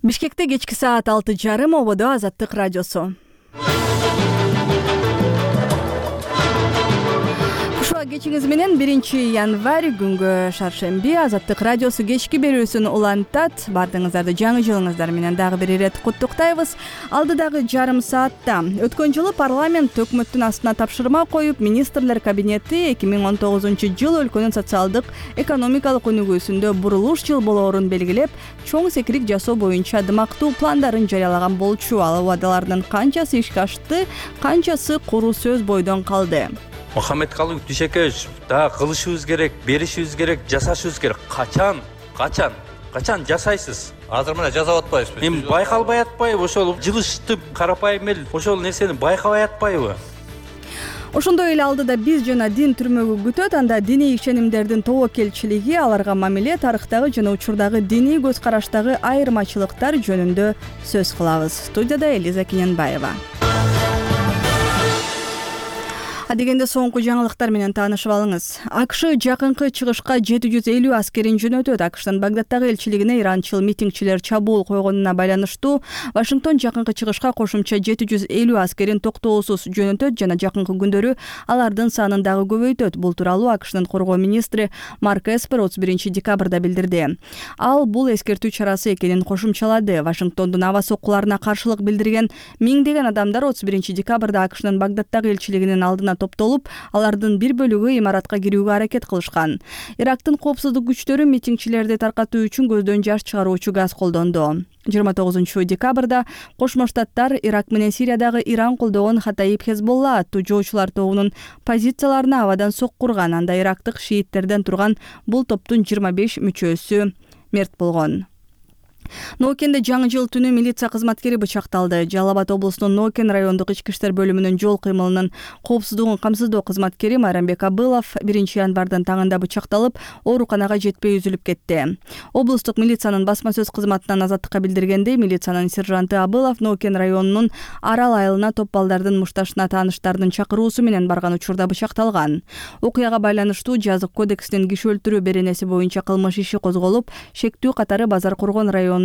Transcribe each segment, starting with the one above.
Бишкекте кечки саат 6:30 ободо Азаттык радиосу. Кушуа кечиңиз менен 1-январь күнгө шаршемби Азаттык радиосу кечки берүүсүн улантат. Бардыгыңыздарды жаңы жылыңыздар менен дагы бир ирет куттуктайбыз. Алдыдагы жарым саатта өткөн жылы парламент өкмөттүн астына тапшырма коюп, министрлер кабинети 2019 жыл өлкөнүн социалдык экономикалык өнүгүүсүндө бурулуш жыл болоорун белгилеп, чоң секирик жасоо боюнча дымактуу пландарын жарыялаган болчу. Ал убадалардын канчасы ишке ашты, канчасы куру сөз бойдон калды? Мухаммедкалый Дүйшекеевич, дагы кылышыбыз керек, беришибиз керек, жасашыбыз керек. Качан жасайсыз? Азыр мына жасап атпайбызбы? Эми байкалбай атпайбы? Ошол жылыштып карапайым эл ошол нерсени байкабай атпайбы? Ошондой эле алдыда биз жана дин түрмөгү күтөт. Анда диний ишенимдердин тобокелчилиги, аларга мамиле, тарыхтагы жана учурдагы диний көз караштагы айырмачылыктар жөнүндө сөз кылабыз. Студияда Элиза Кененбаева. Адегенде соңку жаңылыктар менен таанышып алыңыз. АКШ жакынкы чыгышка 750 аскерин жөнөтөт. АКШтын Багдадтагы элчилигине иранчыл митингчилер чабуул койгонуна байланыштуу Вашингтон жакынкы чыгышка кошумча 750 аскерин токтоосуз жөнөтөт жана жакынкы күндөрү алардын санын дагы көбөйтөт. Бул тууралуу АКШтын коргоо министри Марк Эспер 31-декабрда билдирди. Ал бул эскертүү чарасы экенин кошумчалады. Вашингтондун аба соккуларына каршылык билдирген миңдеген адамдар 31-декабрда АКШнын Багдадтагы элчилигинин алдына топтолуп, алардын бир бөлүгү имаратка кирүүгө аракет кылышкан. Ирактын коопсуздук күчтөрү митингчилерди таркатуу үчүн көздөн жаш чыгаруучу газ колдонду. 29-декабрда Кошмо Штаттар Ирак менен Сириядагы Иран колдогон Хатаиб Хезболла аттуу жоочулар тобунун позицияларына абадан соккурган. Анда ирактык шииттерден турган бул топтун 25 мүчөсү мерт болгон. Ноокенде жаңы жыл түнү милиция кызматкери бычакталды. Жалал Абад облусунун Ноокен райондук ички иштер бөлүмүнүн жол кыймылынын коопсуздугун камсыздоо кызматкери Майрамбек Абылов 1-январдын таңында бычакталып, ооруканага жетпей үзүлүп кетти. Облустук милициянын басма сөз кызматынан Азаттыкка билдиргендей, милициянын сержанты Абылов Ноокен районунун Арал айылына топ балдардын мушташына тааныштардын чакыруусу менен барган учурда бычакталган. Окуяга байланыштуу жазык кодексинин киши өлтүрүү беренеси боюнча кылмыш иши козголуп, шектүү катары Базар Коргон районунун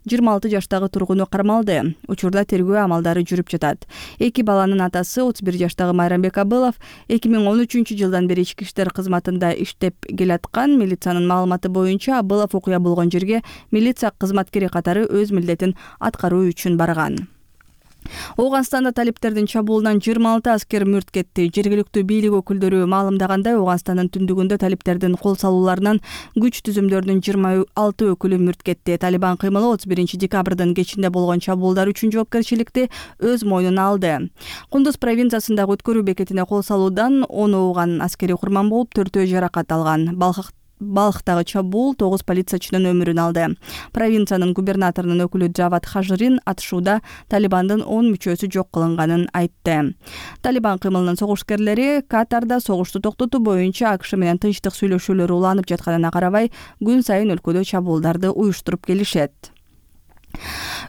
26 жаштагы тургуну кармалды. Учурда тергөө амалдары жүрүп жатат. Эки баланын атасы 31 жаштагы Майрамбек Абылов 2013 жылдан бери ички иштер кызматында иштеп келаткан. Милициянын маалыматы боюнча Абылов окуя болгон жерге милиция кызматкери катары өз милдетин аткаруу үчүн барган. Ооганстанда талиптердин чабуулунан 26 аскер мүрт кетти. Жергиликтүү бийлик өкүлдөрү маалымдагандай, Ооганстандын түндүгүндө талиптердин кол салууларынан күч түзүмдөрдүн 26 өкүлү мүрт кетти. Талибан кыймылы 31-декабрдын кечинде болгон чабуулдар үчүн жоопкерчиликти өз мойнуна алды. Кундуз провинциясындагы өткөрүү бекетине кол салуудан 10 ооган аскери курман болуп, 4-өө жаракат алган. Балхтагы чабуул 9 полициячынын өмүрүн алды. Провинциянын губернаторунун өкүлү Джавад Хажирин атышууда Талибандын 10 мүчөсү жок кылынганын айтты. Талибан кыймылынын согушкерлери Катарда согушту токтотуу боюнча АКШ менен тынчтык сүйлөшүүлөр уланып жатканына карабай, күн сайын өлкөдө чабуулдарды уюштуруп келишет.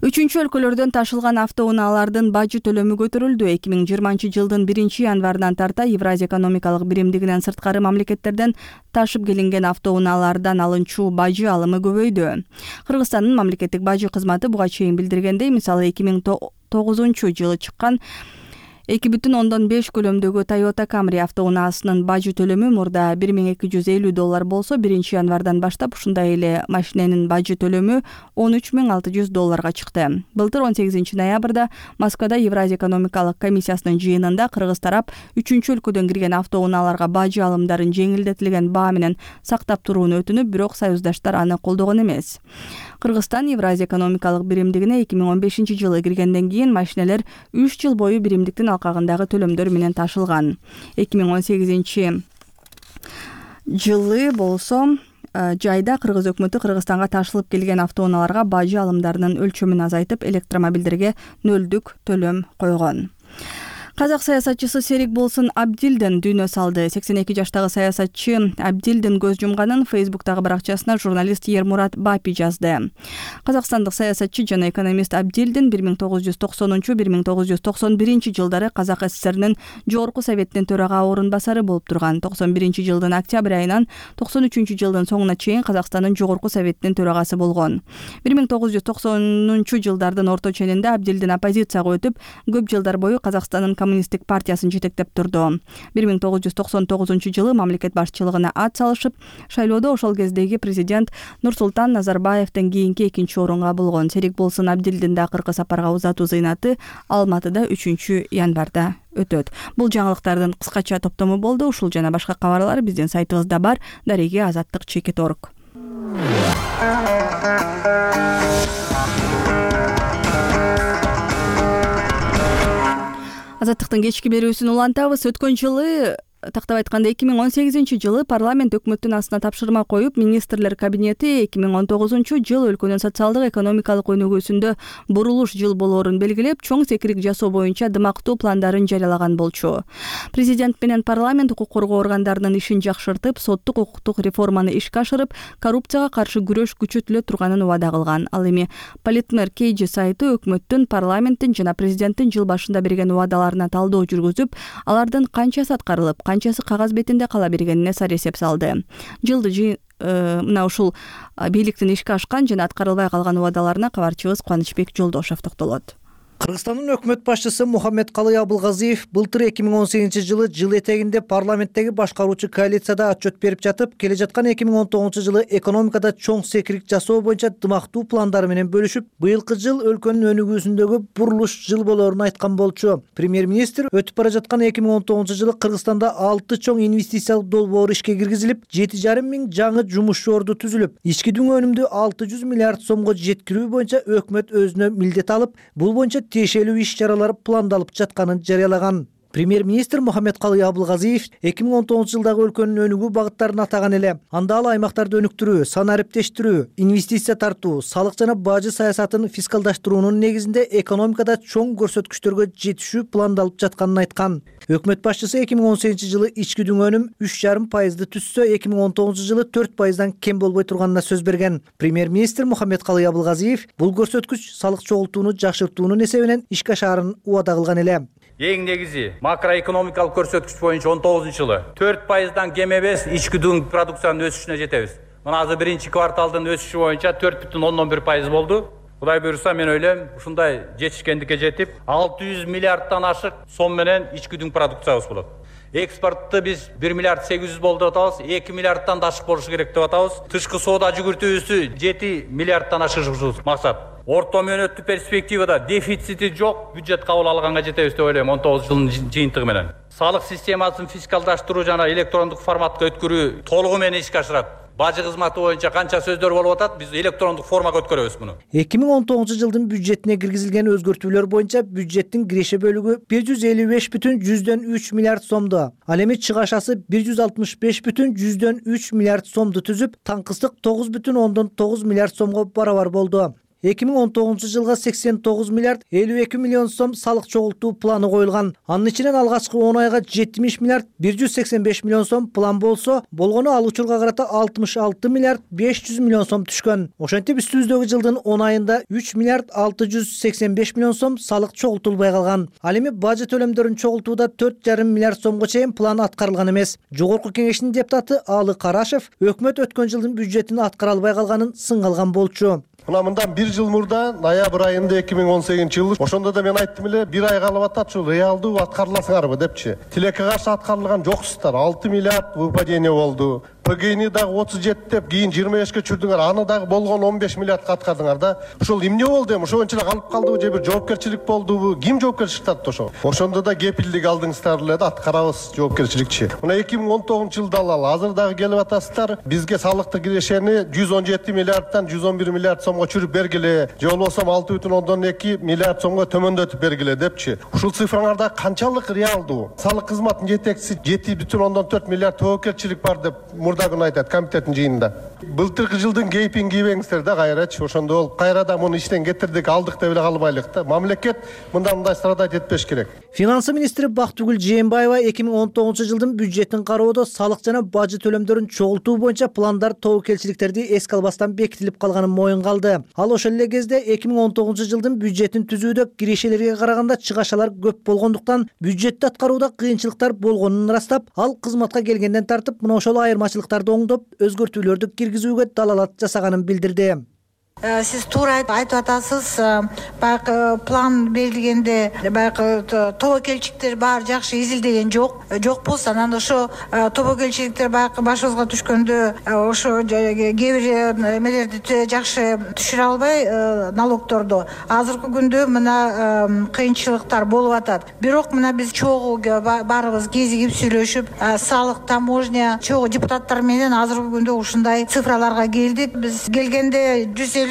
Үчүнчү өлкөлөрдөн ташылган автоунаалардын бажы төлөмү көтөрүлдү. 2020 жылдын 1-январынан тарта Евразия экономикалык биримдигинен сырткары мамлекеттерден ташып келинген автоунаалардан алынчу бажы алымы көбөйдү. Кыргызстандын мамлекеттик бажы кызматы буга чейин билдиргендей, мисалы 2009 жылы чыккан 2,5 көлөмдөгү Toyota Camry автоунаасынын бажы төлөмү мурда $1250 болсо, 1-январдан баштап ушундай эле машиненин бажы төлөмү $13,600 чыкты. Былтыр 18 ноябрда Москвада Евразия экономикалык комиссиясынын жыйынында Кыргыз тарап 3-өлкөдөн кирген автоунааларга бажы алымдарын жеңилдетилген баа менен сактап турууну өтүнүп, бирок союздаштар аны колдогон эмес. Кыргызстан Евразия экономикалык биримдигине 2015 жылы киргенден кийин машинелер 3 жыл бою биримдиктин алкагындагы төлөмдөр менен ташылган. 2018 жылы болсо жайда Кыргыз өкмөтү Кыргызстанга ташылып келген автоунааларга бажы алымдарынын өлчөмүн азайтып, электромобилдерге нөлдүк төлөм койгон. Казак саясатчысы Серик Болсун Абдилдин дүйнө салды. 82 жаштагы саясатчы Абдилдин көз жумганын Фейсбуктагы баракчасына журналист Ермурат Бапи жазды. Казакстандык саясатчы жана экономист Абдилдин 1990-1991 жылдары Казак ССРнин Жогорку Советинин төрага орун басары болуп турган. 91 жылдын октябрь айынан 93 жылдын соңуна чейин Казакстандын Жогорку Советинин төрагасы болгон. 1990 жылдардын орто ченинде Абдилдин оппозицияга өтүп, көп жылдар бою Казакстандын Коммунисттик партиясын жетектеп турду. 1999 жылы мамлекет башчылыгына ат салышып, шайлоодо ошол кездеги президент Нурсултан Назарбаевден кийинки экинчи орунга болгон. Серик Болсун Абдилдин акыркы сапарга узатуу зыйнаты Алматыда 3 январда өтөт. Бул жаңылыктардын кыскача топтому болду. Ушул жана башка кабарлар биздин сайтыбызда бар. Дареги Азаттык.org. Азаттыктын кечки берүүсүн улантабыз. Өткөн жылы, тактап айтканда 2018 жылы парламент өкмөттүн астына тапшырма коюп, министрлер кабинети 2019 жыл өлкөнүн социалдык экономикалык өнүгүүсүндө бурулуш жыл болоорун белгилеп, чоң секирик жасоо боюнча дымактуу пландарын жарыялаган болчу. Президент менен парламент укук коргоо органдарынын ишин жакшыртып, соттук укуктук реформаны ишке ашырып, коррупцияга каршы күрөш күчөтүлө турганын убада кылган. Ал эми Политмер KG сайты өкмөттүн, парламенттин жана президенттин жыл башында берген убадаларына талдоо жүргүзүп, алардын канчасы аткарылып, канчасы кагаз бетинде кала бергенине сар эсеп салды. Жылды мына ушул бийликтин ишке ашкан жана аткарылбай калган убадаларына кабарчыбыз Кубанычбек Жолдошов токтолот. Кыргызстандын өкмөт башчысы Мухаммедкалый Абылгазиев былтыр 2018 жылы жыл этегинде парламенттеги башкаруучу коалицияда отчет берип жатып, келе жаткан 2019 жылы экономикада чоң секирик жасоо боюнча дымактуу пландары менен бөлүшүп, быйылкы жыл өлкөнүн өнүгүүсүндөгү бурулуш жыл болоорун айткан болчу. Премьер-министр өтүп бара жаткан 2019 жылы Кыргызстанда 6 чоң инвестициялык долбоор ишке киргизилип, 7,5 миң жаңы жумуш орду түзүлүп, ички дүң өнүмдү 600 миллиард сомго жеткирүү боюнча өкмөт өзүнө милдет алып, бул боюнча тиешелүү иш-чаралар пландалып жатканын жарыялаган. Премьер-министр Мухаммедкалый Абылгазиев 2019 жылдагы өлкөнүн өнүгүү багыттарын атаган эле. Анда ал аймактарды өнүктүрүү, сан ариптештирүү, инвестиция тартуу, салык жана бажы саясатын фискалдаштыруунун негизинде экономикада чоң көрсөткүчтөргө жетишүү пландалып жатканын айткан. Өкмөт башчысы 2018 жылы ички дүң өнүм 3,5% түзсө, 2019 жылы 4%дан кем болбой турганына сөз берген. Премьер-министр Мухаммедкалый Абылгазиев бул көрсөткүч салык чогултууну жакшыртуунун эсебинен ишке ашаарын убада кылган эле. Эң негизи макроэкономикалык көрсөткүч боюнча 19 жылы 4%дан кем эмес ички дүң продукциянын өсүшүнө жетебиз. Мына азыр биринчи кварталдын өсүшү боюнча 4,1% болду. Кудай буйруса, мен ойлойм, ушундай жетишкендикке жетип, 600 миллиардтан ашык сом менен ички дүң продукциябыз болот. Экспортты биз 1 миллиард 800 болду деп атабыз, 2 миллиардтан да ашык болушу керек деп атабыз. Тышкы соода жүгүртүүбүздү 7 миллиардтан ашырышыбыз максат. Орто мөөнөттүү перспективада дефицити жок бюджет кабыл алганга жетебиз деп ойлойм 19 жылдын жыйынтыгы менен. Салык системасын фискалдаштыруу жана электрондук форматка өткөрүү толугу менен ишке ашырат. Бажы кызматы боюнча канча сөздөр болуп атат, биз электрондук формага өткөрөбүз муну. 2019 жылдын бюджетине киргизилген өзгөртүүлөр боюнча бюджеттин киреше бөлүгү 155,3 миллиард сомду. Ал эми чыгашасы 165,3 миллиард сомду түзүп, таңкыстык 9,9 миллиард сомго барабар болду. 2019 жылга 89 миллиард 52 миллион сом салык чогултуу планы коюлган. Анын ичинен алгачкы 10 айга 70 миллиард 185 миллион сом план болсо, болгону ал учурга карата 66 миллиард 500 миллион сом түшкөн. Ошентип үстүбүздөгү жылдын 10 айында 3 миллиард 685 миллион сом салык чогултулбай калган. Ал эми бажы төлөмдөрүн чогултууда 4,5 миллиард сомго чейин план аткарылган эмес. Жогорку кеңештин депутаты Алы Карашев өкмөт өткөн жылдын бюджетин аткара албай калганын сынга алган болчу. Мына мындан 1 жыл мурда ноябрь айында 2018 жылы ошондо да мен айттым эле, 1 ай калып атат, ушул реалдуу аткарыласыңарбы депчи. Тилекке каршы аткарылган жоксуздар, 6 миллиард выпадение болду. ПГИни дагы 37 деп, кийин 25ке чүрдүңөр, аны дагы болгон 15 миллиардка аткардыңар да. Ушул эмне болду эми? Ошончо эле калып калдыбы же бир жоопкерчилик болдубу? Ким жоопкерчилик тартты ошого? Ошондо да кепилдик алдыңыздар эле да, аткарабыз жоопкерчиликчи. Мына 2019 жылда алалы, азыр дагы келип атасыздар. Бизге салыктык кирешени 117 миллиардтан 111 миллиард сомго чүрүп бергиле, же болбосо 6,2 миллиард сомго төмөндөтүп бергиле депчи. Ушул цифраңарда канчалык реалдуу? Салык кызматынын жетекчиси 7,4 миллиард жоопкерчилик бар деп мурда күнү айтат комитеттин жыйынында. Былтыркы жылдын кейпин кийбеңиздер да кайрачы. Ошондо болуп кайра да муну иштен кетирдик, алдык деп эле калбайлык да. Мамлекет мындай страдать этпеш керек. Финансы министри Бактыгүл Жээнбаева 2019 жылдын бюджетин кароодо салык жана бажы төлөмдөрүн чогултуу боюнча пландар тобокелчиликтерди эске албастан бекитилип калганын моюнга алды. Ал ошол эле кезде 2019 жылдын бюджетин түзүүдө кирешелерге караганда чыгашалар көп болгондуктан бюджетти аткарууда кыйынчылыктар болгонун ырастап, ал кызматка келгенден тартып мына ошол айырмачылыктарды оңдоп, өзгөртүүлөрдү киргизүүгө далалат жасаганын билдирди. Сиз туура айтып атасыз. Баягы план берилгенде баягы тобокелчиликтер баары жакшы изилдеген жок болсо, анан ошо тобокелчиликтер баягы башыбызга түшкөндө ошо кээ бир эмелерди жакшы түшүрө албай налогторду азыркы күндө мына кыйынчылыктар болуп атат. Бирок мына биз чогуу баарыбыз кезигип сүйлөшүп, салык, таможня чогуу депутаттар менен азыркы күндө ушундай цифраларга келдик. Биз келгенде 155,3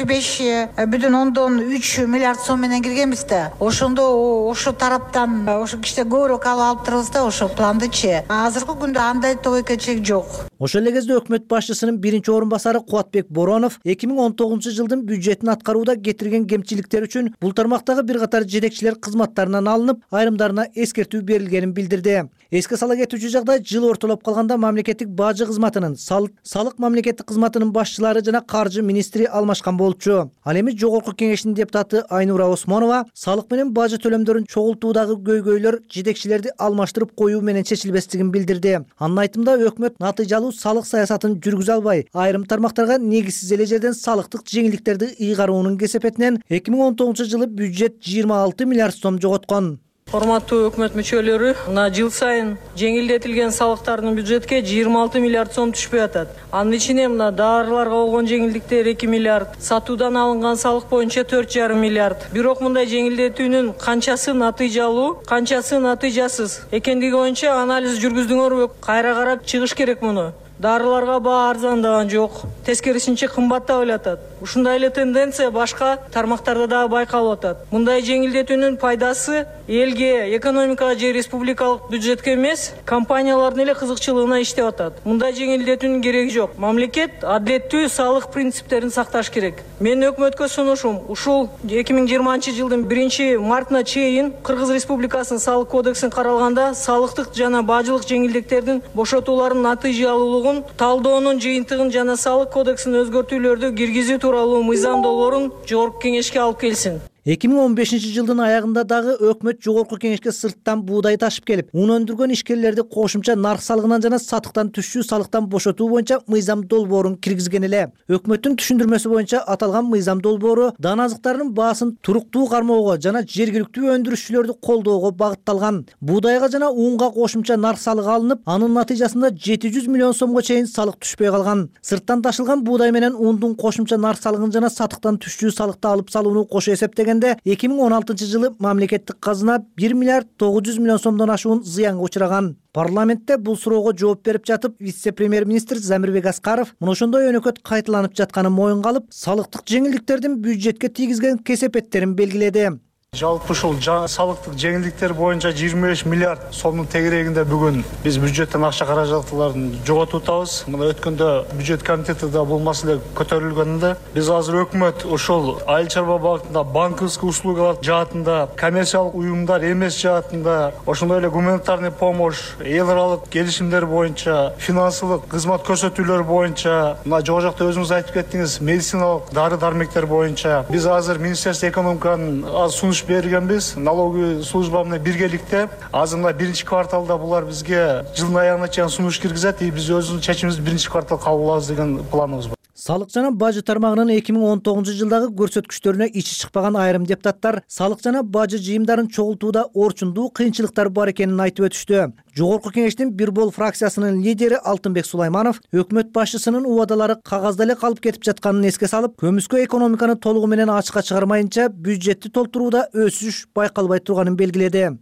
миллиард сом менен киргенбиз да. Ошондо ошо тараптан ошо кичине көбүрөөк алып турабыз да ошо пландычы. Азыркы күндө андай тобокелчилик жок. Ошол эле кезде өкмөт башчысынын биринчи орун басары Кубатбек Боронов 2019 жылдын бюджетин аткарууда кетирген кемчиликтер үчүн бул тармактагы бир катар жетекчилер кызматтарынан алынып, айрымдарына эскертүү берилгенин билдирди. Эске сала кетүүчү жагдай жыл ортолоп калганда мамлекеттик бажы кызматынын, салык мамлекеттик кызматынын башчылары жана каржы министри алмашкан болчу. Ал эми жогорку кеңештин депутаты Айнура Осмонова салык менен бажы төлөмдөрүн чогултуудагы көйгөйлөр жетекчилерди алмаштырып коюу менен чечилбестигин билдирди. Анын айтымында өкмөт натыйжалуу салык саясатын жүргүзө албай, айрым тармактарга негизсиз эле жерден салыктык жеңилдиктерди ыйгаруунун кесепетинен 2019 жылы бюджет 26 миллиард сом жоготкон. Урматтуу өкмөт мүчөлөрү, мына жыл сайын жеңилдетилген салыктардын бюджетке 26 миллиард сом түшпөй атат. Анын ичине мына дарыларга болгон жеңилдиктер 2 миллиард, сатуудан алынган салык боюнча 4,5 миллиард. Бирок мындай жеңилдетүүнүн канчасы натыйжалуу, канчасы натыйжасыз экендиги боюнча анализ жүргүздүңөрбү? Кайра карап чыгыш керек муну. Дарыларга баа арзандаган жок, тескерисинче кымбаттап атат. Ушундай эле тенденция башка тармактарда да байкалып атат. Мындай жеңилдетүүнүн пайдасы элге, экономикага же республикалык бюджетке эмес, компаниялардын эле кызыкчылыгына иштеп атат. Мындай жеңилдетүүнүн кереги жок. Мамлекет адилеттүү салык принциптерин сакташ керек. Менин өкмөткө сунушум ушул 2020 жылдын 1-мартына чейин Кыргыз Республикасынын салык кодексин каралганда салыктык жана бажылык жеңилдиктердин бошотууларынын натыйжалуулугун талдоонун жыйынтыгын жана салык кодексин өзгөртүүлөрдү киргизүү тууралуу мыйзам долбоорун жогорку кеңешке алып келсин. 2015 жылдын аягында дагы өкмөт жогорку кеңешке сырттан буудай ташып келип, ун өндүргөн ишкерлерди кошумча нарк салыгынан жана сатыктан түшүү салыктан бошотуу боюнча мыйзам долбоорун киргизген эле. Өкмөттүн түшүндүрмөсү боюнча аталган мыйзам долбоору дан азыктарынын баасын туруктуу кармоого жана жергиликтүү өндүрүшчүлөрдү колдоого багытталган. Буудайга жана унга кошумча нарк салыгы алынып, анын натыйжасында 700 миллион сомго чейин салык түшпөй калган. Сырттан ташылган буудай менен ундун кошумча нарк салыгын жана сатыктан түшүү салыкты алып салууну кошо эсептеген 2016 жылы мамлекеттик казына 1 миллиард 900 миллион сомдон ашуун зыянга учураган. Парламентте бул суроого жооп берип жатып, вице-премьер-министр Замирбек Аскаров мына ошондой өнөкөт кайталанып жатканын моюнга алып, салыктык жеңилдиктердин бюджетке тийгизген кесепеттерин белгиледи. Жалпы ушул салыктык жеңилдиктер боюнча 25 миллиард сомдун тегерегинде бүгүн биз бюджеттен акча каражаттарын жоготуп атабыз. Мына өткөндө бюджет комитетинде бул маселе көтөрүлгөндө биз азыр өкмөт ушул айыл чарба багытында банковский услугалар жаатында, коммерциялык уюмдар эмес жаатында, ошондой эле гуманитарный помощь, эл аралык келишимдер боюнча, финансылык кызмат көрсөтүүлөр боюнча, мына жогу жакта өзүңүз айтып кеттиңиз, медициналык дары-дармектер боюнча биз азыр Министерство экономиканын сунуш бергенбиз, налоговый служба менен биргеликте. Азыр мына 1-кварталда булар бизге жылдын аягына чейин сунуш киргизет, биз өзүбүздүн чечимибизди 1-квартал кабыл алабыз деген планыбыз бар. Салык жана бажы тармагынын 2019 жылдагы көрсөткүчтөрүнө ичи чыкпаган айрым депутаттар салык жана бажы жыйымдарын чогултууда орчундуу кыйынчылыктар бар экенин айтып өтүштү. Жогорку кеңештин Бир бол фракциясынын лидери Алтынбек Сулайманов өкмөт башчысынын убадалары кагазда эле калып кетип жатканын эске салып, көмүскө экономиканы толугу менен ачыкка чыгармайынча бюджетти толтурууда өсүш байкалбай турганын белгиледи.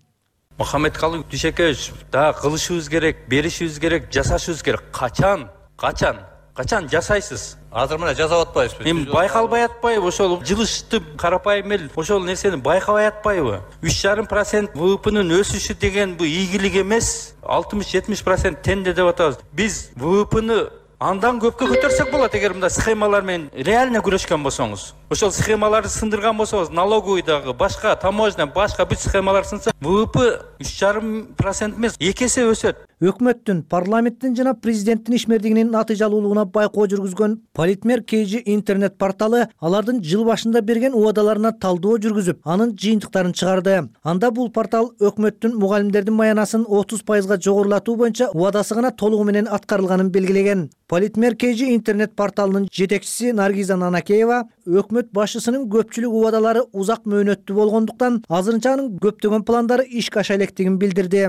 Мухаммедкалый Дүйшөкеевич, да кылышыбыз керек, беришибиз керек, жасашыбыз керек. Качан жасайсыз? Азыр мына жасап атпайбызбы? Эми байкалбай атпайбы? Ошол жылышты карапайым эл ошол нерсени байкабай атпайбы? 3,5% ВВПнын өсүшү деген бу ийгилик эмес. 60-70% тенде деп атабыз. Биз ВВПны Андан көпкө көтөрсөк болот эгер мындай схемалар менен реально күрөшкөн болсоңуз. Ошол схемаларды сындырган болсоңуз, налоговый дагы, башка таможня, башка бүт схемалар сынса, ВВП 3,5% эмес, 2 эсе өсөт. Өкмөттүн, парламенттин жана президенттин ишмердигинин натыйжалуулугуна байкоо жүргүзгөн Политмер KG интернет порталы алардын жыл башында берген убадаларына талдоо жүргүзүп, анын жыйынтыктарын чыгарды. Анда бул портал өкмөттүн мугалимдердин маянасын 30% жогорулатуу боюнча убадасы гана толугу менен аткарылганын белгилеген. Политмер KG интернет порталынын жетекчиси Наргиза Нанакеева өкмөт башчысынын көпчүлүк убадалары узак мөөнөттүү болгондуктан азырынча анын көптөгөн пландары ишке аша электигин билдирди.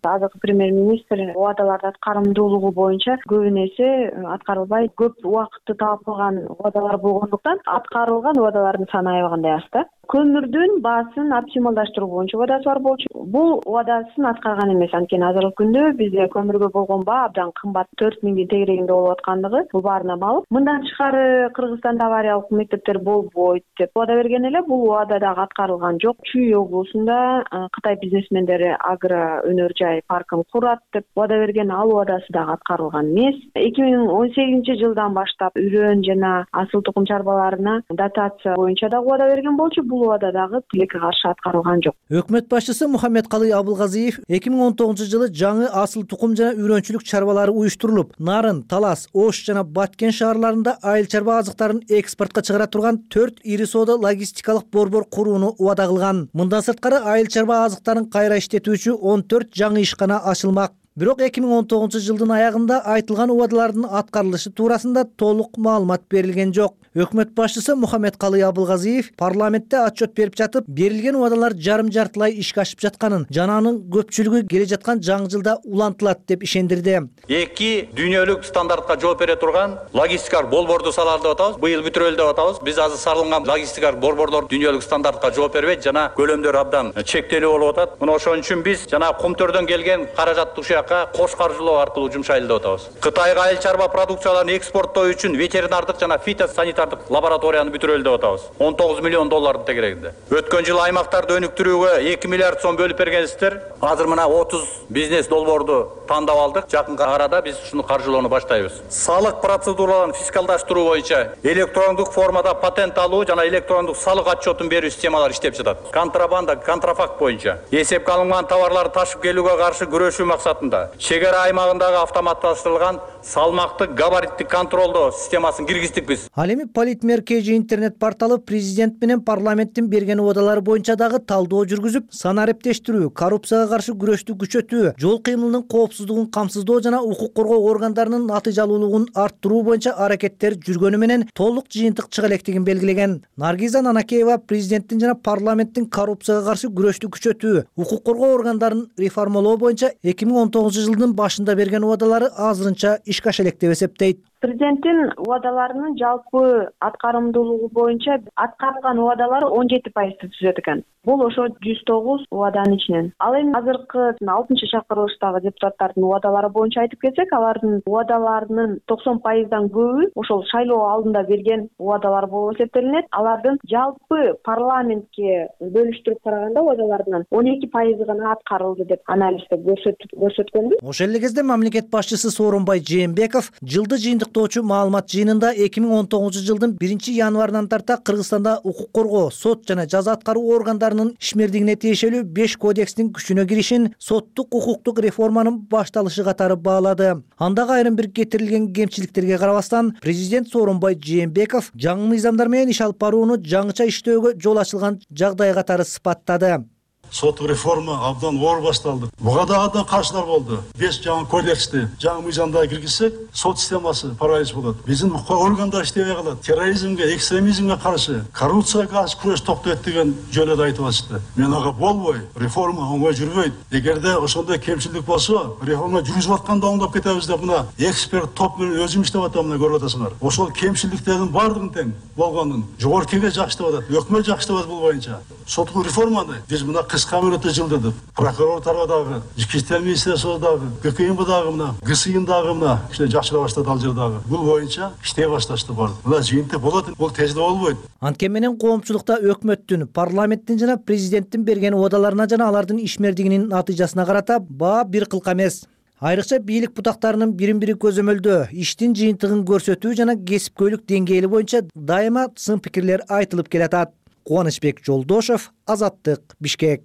Азыркы премьер-министр убадалардын аткарымдуулугу боюнча көбүн эсе аткарылбай, көп убакытты талап кылган убадалар болгондуктан аткарылган убадалардын саны аябагандай аз да. Көмүрдүн баасын оптималдаштыруу боюнча убадасы бар болчу. Бул убадасын аткарган эмес, анткени азыркы күндө бизде көмүргө болгон баа абдан кымбат, 4000 тегерегинде болуп аткандыгы бул баарына маалым. Мындан тышкары Кыргызстанда авариялык мектептер болбойт деп убада берген эле, бул убада дагы аткарылган жок. Чүй облусунда Кытай бизнесмендери агро өнөр жай паркын курат деп убада берген, ал убадасы дагы аткарылган эмес. 2018-жылдан баштап үрөн жана асыл тукум чарбаларына дотация боюнча дагы убада берген болчу. Бул убада дагы тилекке каршы аткарылган жок. Өкмөт башчысы Мухаммедкалый Абылгазиев 2019-жылы жаңы асыл тукум жана үрөнчүлүк чарбалары уюштурулуп, Нарын, Талас, Ош жана Баткен шаарларында айыл чарба азыктарын экспортко чыгара турган 4 ири соода логистикалык борбор курууну убада кылган. Мындан сырткары айыл чарба азыктарын кайра иштетүүчү 14 жаңы ишкана ачылмак. Бирок 2019-жылдын аягында айтылган убадалардын аткарылышы туурасында толук маалымат берилген жок. Өкмөт башчысы Мухаммедкалый Абылгазиев парламентте отчет берип жатып, берилген убадалар жарым-жартылай ишке ашып жатканын, жана анын көпчүлүгү келе жаткан жаңы жылда улантылат деп ишендирди. 2 дүйнөлүк стандартка жооп бере турган логистикалык борборду салалы деп атабыз. Быйыл бүтүрөлү деп атабыз. Биз азыр салынган логистикалык борборлор дүйнөлүк стандартка жооп бербейт, жана көлөмдөр абдан чектелүү болуп атат. Мына ошон үчүн биз жана Кумтөрдөн келген каражатты ушуяка кош каржылоо аркылуу жумшайлы деп атабыз. Кытайга айыл чарба продукцияларын экспорттоо үчүн ветеринардык жана фитосанитардык лабораторияны бүтүрөлү деп атабыз. 19 миллион доллардын тегерегинде. Өткөн жылы аймактарды өнүктүрүүгө 2 миллиард сом бөлүп бергенсиздер. Азыр мына 30 бизнес долбоорду тандап алдык. Жакынкы арада биз ушуну каржылоону баштайбыз. Салык процедураларын фискалдаштыруу боюнча электрондук формада патент алуу жана электрондук салык отчетун берүү системалары иштеп жатат. Контрабанда, контрафакт боюнча эсепке алынган товарларды ташып келүүгө каршы күрөшүү максатында чек ара аймагындагы автоматташтырылган салмактык габариттик контролдоо системасын киргиздик биз. Ал эми Политмер KG интернет порталы президент менен парламенттин берген убадалары боюнча дагы талдоо жүргүзүп, санариптештирүү, коррупцияга каршы күрөштү күчөтүү, жол кыймылынын коопсуздугун камсыздоо жана укук коргоо органдарынын натыйжалуулугун арттыруу боюнча аракеттер жүргөнү менен толук жыйынтык чыга электигин белгилеген. Наргиза Нанакеева президенттин жана парламенттин коррупцияга каршы күрөштү күчөтүү, укук коргоо органдарын реформалоо боюнча 2019-жылдын башында берген убадалары азырынча ишке аша элек деп эсептейт. Президенттин убадаларынын жалпы аткарымдуулугу боюнча аткарылган убадалар 17% түзөт экен. Бул ошо 109 убаданын ичинен. Ал эми азыркы 6-чакырылыштагы депутаттардын убадалары боюнча айтып кетсек, алардын убадаларынын 90%дан көбү ошол шайлоо алдында берген убадалар болуп эсептелинет. Алардын жалпы парламентке бөлүштүрүп караганда убадаларынын 12% гана аткарылды деп анализде көрсөткөнбүз. Ошол эле кезде мамлекет башчысы Сооронбай Жээнбеков жылды жыйынтыктоочу маалымат жыйынында 2019-жылдын 1-январынан тарта Кыргызстанда укук коргоо, сот жана жаза аткаруу органдарынын ишмердигине тиешелүү 5 кодекстин күчүнө киришин, соттук укуктук реформанын башталышы катары баалады. Андагы айрым бир кетирилген кемчиликтерге карабастан, президент Сооронбай Жээнбеков жаңы мыйзамдар менен иш алып барууну жаңыча иштөөгө жол ачылган жагдай катары сыпаттады. Соттук реформа абдан оор башталды. Буга да абдан каршылар болду. 5 жаңы кодексти, жаңы мыйзамда киргизсек, сот системасы паралич болот. Биздин органдар иштебей калат. Терроризмге, экстремизмге каршы, коррупцияга каршы күрөш токтойт деген жөнөдө айтып атышты. Мен ага болбой, реформа оңой жүрбөйт. Эгерде ошондой кемчилик болсо, реформа жүргүзүп атканда оңдоп кетебиз деп мына эксперт топ менен өзүм иштеп атам, мына көрүп атасыңар. Ошол кемчиликтердин баардыгын тең болгонун жогорку кеңеш жакшы деп атат, өкмөт жакшы деп атат бул боюнча. Соттук реформаны биз мына кыска мөөнөттө жылдырдык. Прокурор тарабындагы, Ички иштер министрлигидагы, ГКМдагы мына, ГСИндагы мына жакшыра баштады ал жердагы. Бул боюнча иштей башташты бар. Мына жыйынтык болот, бул тезде болбойт. Анткени менен коомчулукта өкмөттүн, парламенттин жана президенттин берген убадаларына жана алардын ишмердигинин натыйжасына карата баа бир кылка эмес. Айрыкча бийлик бутактарынын бирин бири көзөмөлдөө, иштин жыйынтыгын көрсөтүү жана кесипкөйлүк деңгээли боюнча дайыма сын пикирлер айтылып келатат. Кубанычбек Жолдошов, Азаттык, Бишкек.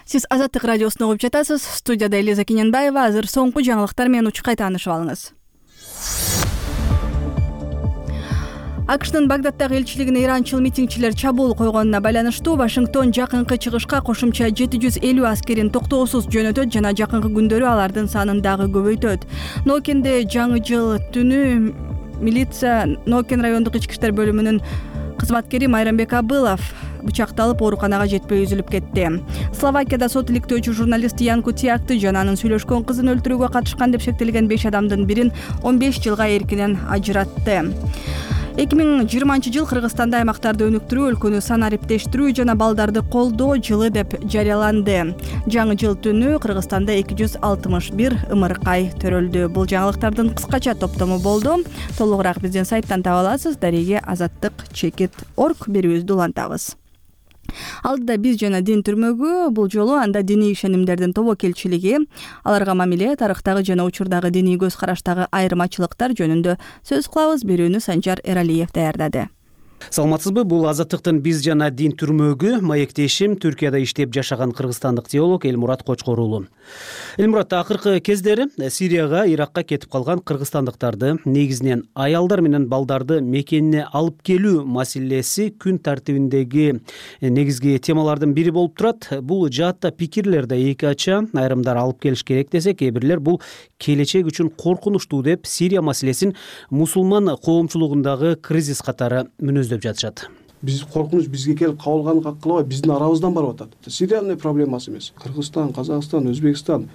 Сиз Азаттык радиосун угуп жатасыз. Студияда Элиза Кененбаева. Азыр соңку жаңылыктар менен учкай таанышып алыңыз. АКШнын Багдаддагы элчилигине иранчыл митингчилер чабуул койгонуна байланыштуу Вашингтон жакынкы чыгышка кошумча 750 аскерин токтоосуз жөнөтөт жана жакынкы күндөрү алардын санын дагы көбөйтөт. Нокенде жаңы жыл түнү милиция Нокен райондук ички иштер бөлүмүнүн кызматкери Майрамбек Абылов бычакталып ооруканага жетпей үзүлүп кетти. Словакияда сот иликтөөчү журналист Ян Кутиакты жана анын сүйлөшкөн кызын өлтүрүүгө катышкан деп шектелген 5 адамдын бирин 15 жылга эркинен ажыратты. 2020 жыл Кыргызстанда аймактарды өнүктүрүү, өлкөнү санариптештирүү жана балдарды колдоо жылы деп жарыяланды. Жаңы жыл түнү Кыргызстанда 261 ымыркай төрөлдү. Бул жаңылыктардын кыскача топтому болду. Толугураак биздин сайттан таба аласыз. Дареге Азаттык.org берүүбүздү улантабыз. Алдыда биз жана дин түрмөгү, бул жолу анда диний ишенимдердин тобокелчилиги, аларга мамиле, тарыхтагы жана учурдагы диний көз караштагы айырмачылыктар жөнүндө сөз кылабыз. Берүүнү Санжар Эралиев даярдады. Саламатсызбы? Бул Азаттыктын биз жана дин түрмөгү. Маектешим Түркияда иштеп жашаган кыргызстандык теолог Элмурат Кочкор уулу. Элмурат, акыркы кездери Сирияга, Иракка кетип калган кыргызстандыктарды, негизинен аялдар менен балдарды мекенине алып келүү маселеси күн тартибиндеги негизги темалардын бири болуп турат. Бул жаатта пикирлер да эки ача. Айрымдар алып келиш керек десе, кээ бирлер бул келечек үчүн коркунучтуу деп Сирия маселесин мусулман коомчулугундагы кризис катары мүнөздөп жатышат. Биз коркунуч бизге келип кабылганын кылабай, биздин арабыздан барып атат. Сириянын проблемасы эмес. Кыргызстан, Казакстан, Өзбекстан,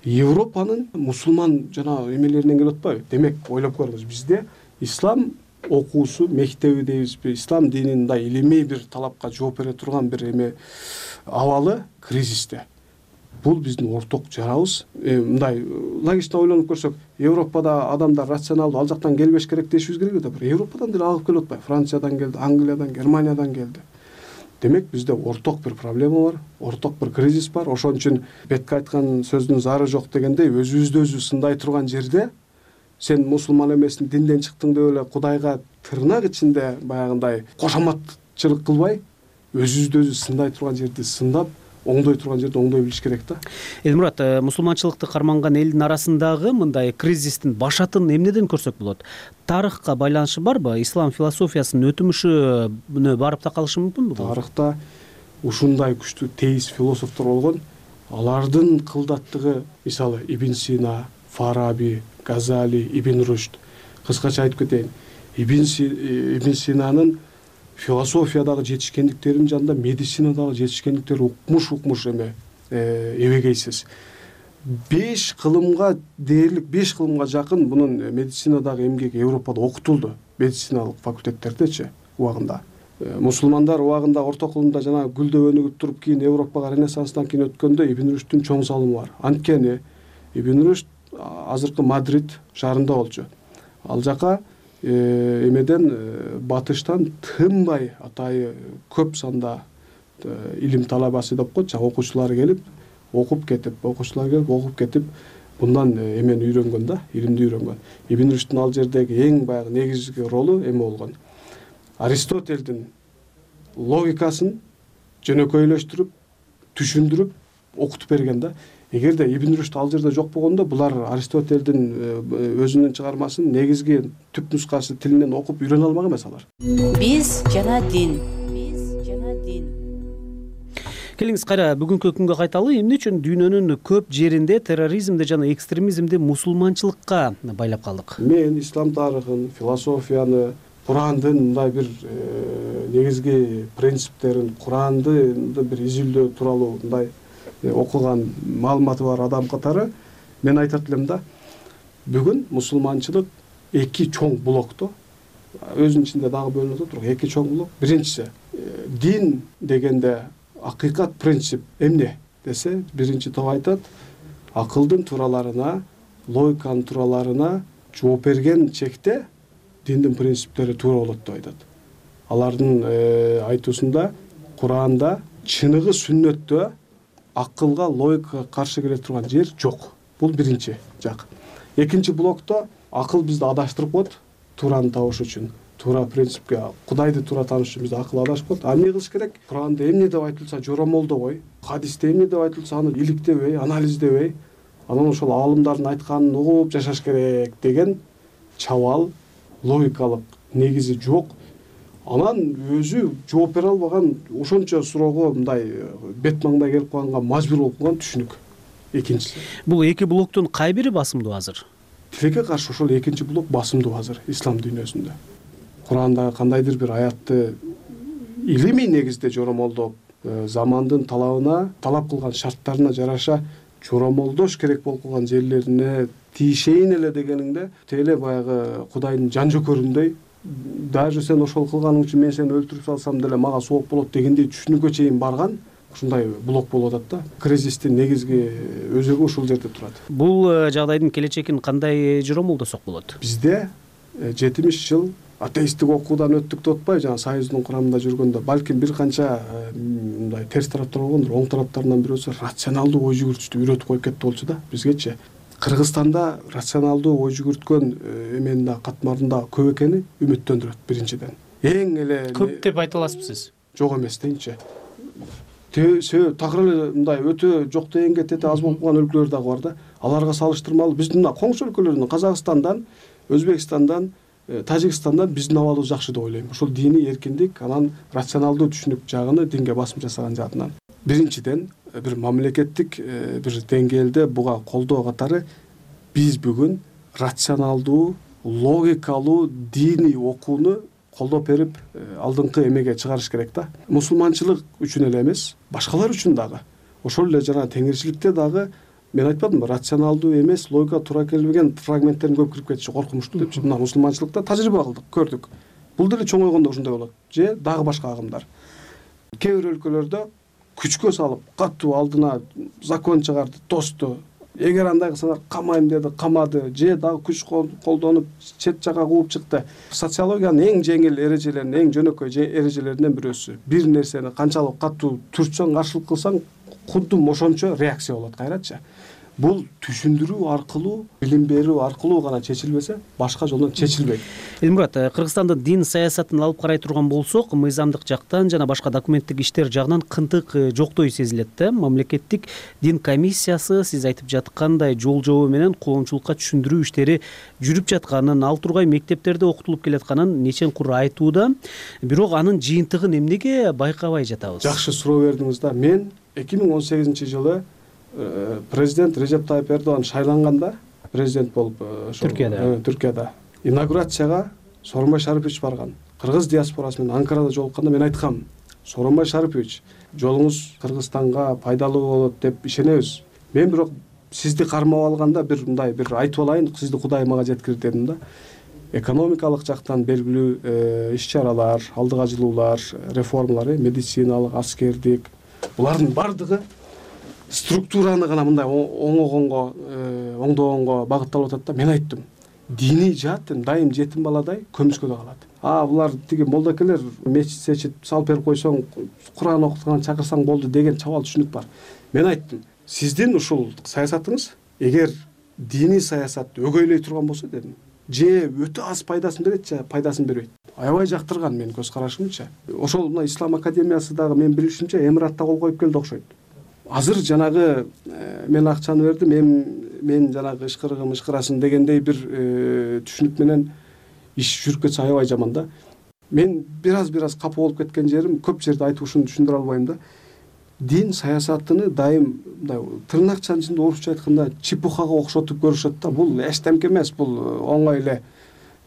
Европанын мусулман жана эмелеринен келип атпайбы? Демек, ойлоп көрүңүз, бизде ислам окуусу, мектеби дейбизби, ислам динин мындай илимий бир талапка жооп бере турган бир эме абалы кризисте. Бул биздин орток жарабыз. Мындай логично ойлонуп көрсөк, Европада адамдар рационалдуу ал жактан келбеш керек дешибиз керек да. Европадан деле агып келип атпайбы? Франциядан келди, Англиядан, Германиядан келди. Демек, бизде орток бир проблема бар, орток бир кризис бар. Ошон үчүн бетке айткан сөздүн зары жок дегендей, өзүбүздү өзү сындай турган жерде сен мусулман эмесиң, динден чыктың деп эле Кудайга тырнак ичинде баягындай кошоматчылык кылбай, өзүбүздү өзү сындай турган жерди сындап, оңдой турган жерде оңдой билиш керек да. Элмурат, мусулманчылыкты карманган элдин арасындагы мындай кризистин башатын эмнеден көрсөк болот? Тарыхка байланышы барбы? Ислам философиясынын өтүмүшүнө барып такалышы мүмкүнбү? Тарыхта ушундай күчтүү теист философтор болгон. Алардын кылдаттыгы, мисалы, Ибн Сина, Фараби, Газали, Ибн Рушд. Кыскача айтып кетейин. Ибн Синанын философиядагы жетишкендиктеринин жанында медицинадагы жетишкендиктер укмуш эме эбегейсиз. 5 кылымга дээрлик, 5 кылымга жакын мунун медицинадагы эмгеги Европада окутулду. Медициналык факультеттердечи убагында. Мусулмандар убагында орто кылымда жана гүлдөп өнүгүп туруп, кийин Европага Ренессанстан кийин өткөндө Ибн Рушдтун чоң салымы бар. Анткени Ибн Рушд азыркы Мадрид шаарында болчу. Ал жака эмеден батыштан тынбай атайы көп санда илим талабасы деп коет, окуучулар келип окуп кетип мындан эмени үйрөнгөн да, илимди үйрөнгөн. Ибн Рушдтун ал жердеги эң баягы негизги ролу эме болгон. Аристотельдин логикасын жөнөкөйлөштүрүп, түшүндүрүп, окутуп берген да. Эгерде Ибн Рушд ал жерде жок болгондо, булар Аристотельдин өзүнүн чыгармасын негизги түп нускасы тилинен окуп үйрөнө алмак эмес алар. Биз жана дин. Келиңиз кайра бүгүнкү күнгө кайталы. Эмне үчүн дүйнөнүн көп жеринде терроризмди жана экстремизмди мусулманчылыкка байлап калдык? Мен ислам тарыхын, философияны, Курандын мындай бир негизги принциптерин, Куранды бир изилдөө тууралуу мындай окуган маалыматы бар адам катары мен айтат элем да, бүгүн мусулманчылык эки чоң блокто, өзүнүн ичинде дагы бөлүнүп атат, бирок эки чоң блок. Биринчиси, дин дегенде акыйкат принцип эмне десе, биринчи топ айтат, акылдын туураларына, логиканын туураларына жооп берген чекте диндин принциптери туура болот деп айтат. Алардын айтуусунда Куранда чыныгы сүннөттө акылга, логикага каршы келе турган жер жок. бул биринчи жак. Экинчи блокто акыл бизди адаштырып коет, туураны табыш үчүн, туура принципке, Кудайды туура тааныш үчүн бизди акыл адашып коет. А эмне кылыш керек? Куранда эмне деп айтылса жоромолдобой, хадисте эмне деп айтылса аны иликтебей, анализдебей, анан ошол аалымдардын айтканын угуп жашаш керек деген чабал, логикалык негизи жок. Анан өзү жооп бере албаган, ошончо суроого мындай бет маңдай келип калганга мажбур болуп калган түшүнүк. Экинчиси. Бул эки блоктун кай бири басымдуу азыр? Тилекке каршы ошол экинчи блок басымдуу азыр ислам дүйнөсүндө. Курандагы кандайдыр бир аятты илимий негизде жоромолдоп, замандын талабына, талап кылган шарттарына жараша жоромолдош керек болуп калган жерлерине тийишейин эле дегениңде, теле баягы Кудайдын жан жөкөрүндөй, даже сен ошол кылганың үчүн мен сени өлтүрүп салсам деле мага сооп болот дегендей түшүнүккө чейин барган ушундай блок болуп атат да. Кризистин негизги өзөгү ушул жерде турат. Бул жагдайдын келечегин кандай жоромолдосок болот? Бизде 70 жыл атеисттик окуудан өттүк деп атпайбы, жана Союздун курамында жүргөндө балким бир канча мындай терс тараптар болгондур. Оң тараптарынан бирөөсү рационалдуу ой жүгүртүштү үйрөтүп коюп кетти болчу да бизгечи. Кыргызстанда рационалдуу ой жүгүрткөн эменин да катмарында көп экени үмүттөндүрөт биринчиден. Эң эле көп деп айта аласызбы сиз? Жок эмес дейинчи. Такыр эле мындай өтө жок дегенге тете аз болуп калган өлкөлөр дагы бар да. Аларга салыштырмалуу биздин мына коңшу өлкөлөрдөн, Казакстандан, Өзбекстандан, Тажикстандан биздин абалыбыз жакшы деп ойлойм. Ошол диний эркиндик, анан рационалдуу түшүнүк жагыны динге басым жасаган жаатынан. Биринчиден бир мамлекеттик бир деңгээлде буга колдоо катары биз бүгүн рационалдуу, логикалуу диний окууну колдоп берип алдыңкы эмеге чыгарыш керек да. Мусулманчылык үчүн эле эмес, башкалар үчүн дагы. Ошол эле жана теңирчиликте дагы мен айтпадымбы, рационалдуу эмес, логика туура келбеген фрагменттерин көп кирип кетиши коркунучтуу депчи. Мына мусулманчылыкта тажрыйба кылдык, көрдүк. Бул деле чоңойгондо ушундай болот. Же дагы башка агымдар. Кээ бир өлкөлөрдө күчкө салып, катуу алдына закон чыгарды, тосту. Эгер андай кылсаңар камайм деди, камады, же дагы күч колдонуп чет жакка кууп чыкты. Социологиянын эң жеңил эрежелеринин, эң жөнөкөй эрежелеринен бирөөсү. Бир нерсени канчалык катуу түртсөң, каршылык кылсаң, кудум ошончо реакция болот, кайрачы. Бул түшүндүрүү аркылуу, билим берүү аркылуу гана чечилбесе, башка жолдон чечилбейт. Элмурат, Кыргызстандын дин саясатын алып карай турган болсок, мыйзамдык жактан жана башка документтик иштер жагынан кынтык жоктой сезилет да. Мамлекеттик дин комиссиясы сиз айтып жаткандай жол жобо менен коомчулукка түшүндүрүү иштери жүрүп жатканын, ал тургай мектептерде окутулуп келатканын нечен кур айтууда. Бирок анын жыйынтыгын эмнеге байкабай жатабыз? Жакшы суроо бердиңиз да. Мен 2018-жылы президент Режеп Тайып Эрдоган шайланганда, президент болуп Түркияда инаугурацияга Сооронбай Шарипович барган. Кыргыз диаспорасы менен Анкарада жолукканда мен айткам: Сооронбай Шарипович, жолуңуз Кыргызстанга пайдалуу болот деп ишенебиз. Мен бирок сизди кармап алганда бир айтып алайын, сизди Кудай мага жеткирди дедим да. Экономикалык жактан белгилүү иш-чаралар, алдыга жылуулар, реформалар, медициналык, аскердик, булардын бардыгы структураны гана мындай оңдогонго багытталып атат да. Мен айттым, диний жаат дайым жетим баладай көмүскөдө калат. Булар тиги молдокелер мечит салып берип койсоң, Куран окутканга чакырсаң болду деген чабал түшүнүк бар. Мен айттым, сиздин ушул саясатыңыз эгер диний саясатты өгөйлөй турган болсо дедим, же өтө аз пайдасын берет, же пайдасын бербейт. Аябай жактырган менин көз карашымча. Ошол мына Ислам академиясы дагы мен билишимче Эмиратта кол коюп келди окшойт. Азыр жанагы мен акчаны бердим, мен жанагы ышкырасын дегендей бир түшүнүк менен иш жүрүп кетсе аябай жаман да. Мен бир аз капа болуп кеткен жерим, көп жерде айтып ушуну түшүндүрө албайм да. Дин саясатыны дайым мындай тырнакчанын ичинде орусча айтканда чепухага окшотуп көрүшөт да. Бул эчтемке эмес, бул оңой эле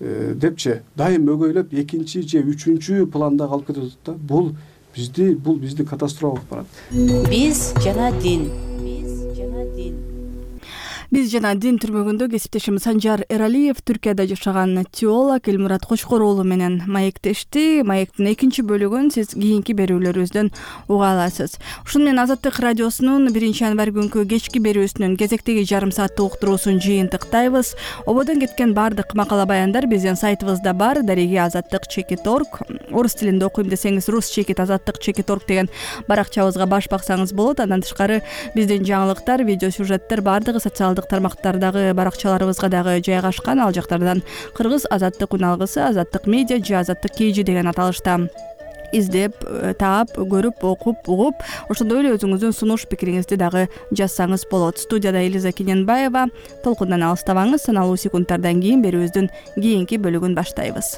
депчи дайым өгөйлөп экинчи же үчүнчү планда калып кетет да. Бул бизди катастрофа болуп барат. Биз жана дин. Биз жана дин түрмөгүндө кесиптешimiz Санжар Эралиев Түркияда жашаган теолог Элмурат Кочкор уулу менен маектешти. Маектин экинчи бөлүгүн сиз кийинки берүүлөрүбүздөн уга аласыз. Ушуну менен Азаттык радиосунун 1-январь күнкү кечки берүүсүнүн кезектеги жарым сааттык уктуруусун жыйынтыктайбыз. Ободон кеткен бардык макала баяндар биздин сайтыбызда бар. Дареги azattik.org. Орус тилинде окуйм десеңиз rus-azattik.org деген баракчабызга баш баксаңыз болот. Андан тышкары биздин жаңылыктар, видео сюжеттер бардыгы социалдык социалдык тармактардагы баракчаларыбызга дагы жайгашкан. Ал жактардан Кыргыз азаттык үн алгысы, азаттык медиа же азаттык KG деген аталышта издеп, таап, көрүп, окуп, угуп, ошондой эле өзүңүздүн сунуш пикириңизди дагы жазсаңыз болот. Студияда Элиза Кененбаева. Толкундан алыстабаңыз. Саналуу секундтардан кийин берүүбүздүн кийинки бөлүгүн баштайбыз.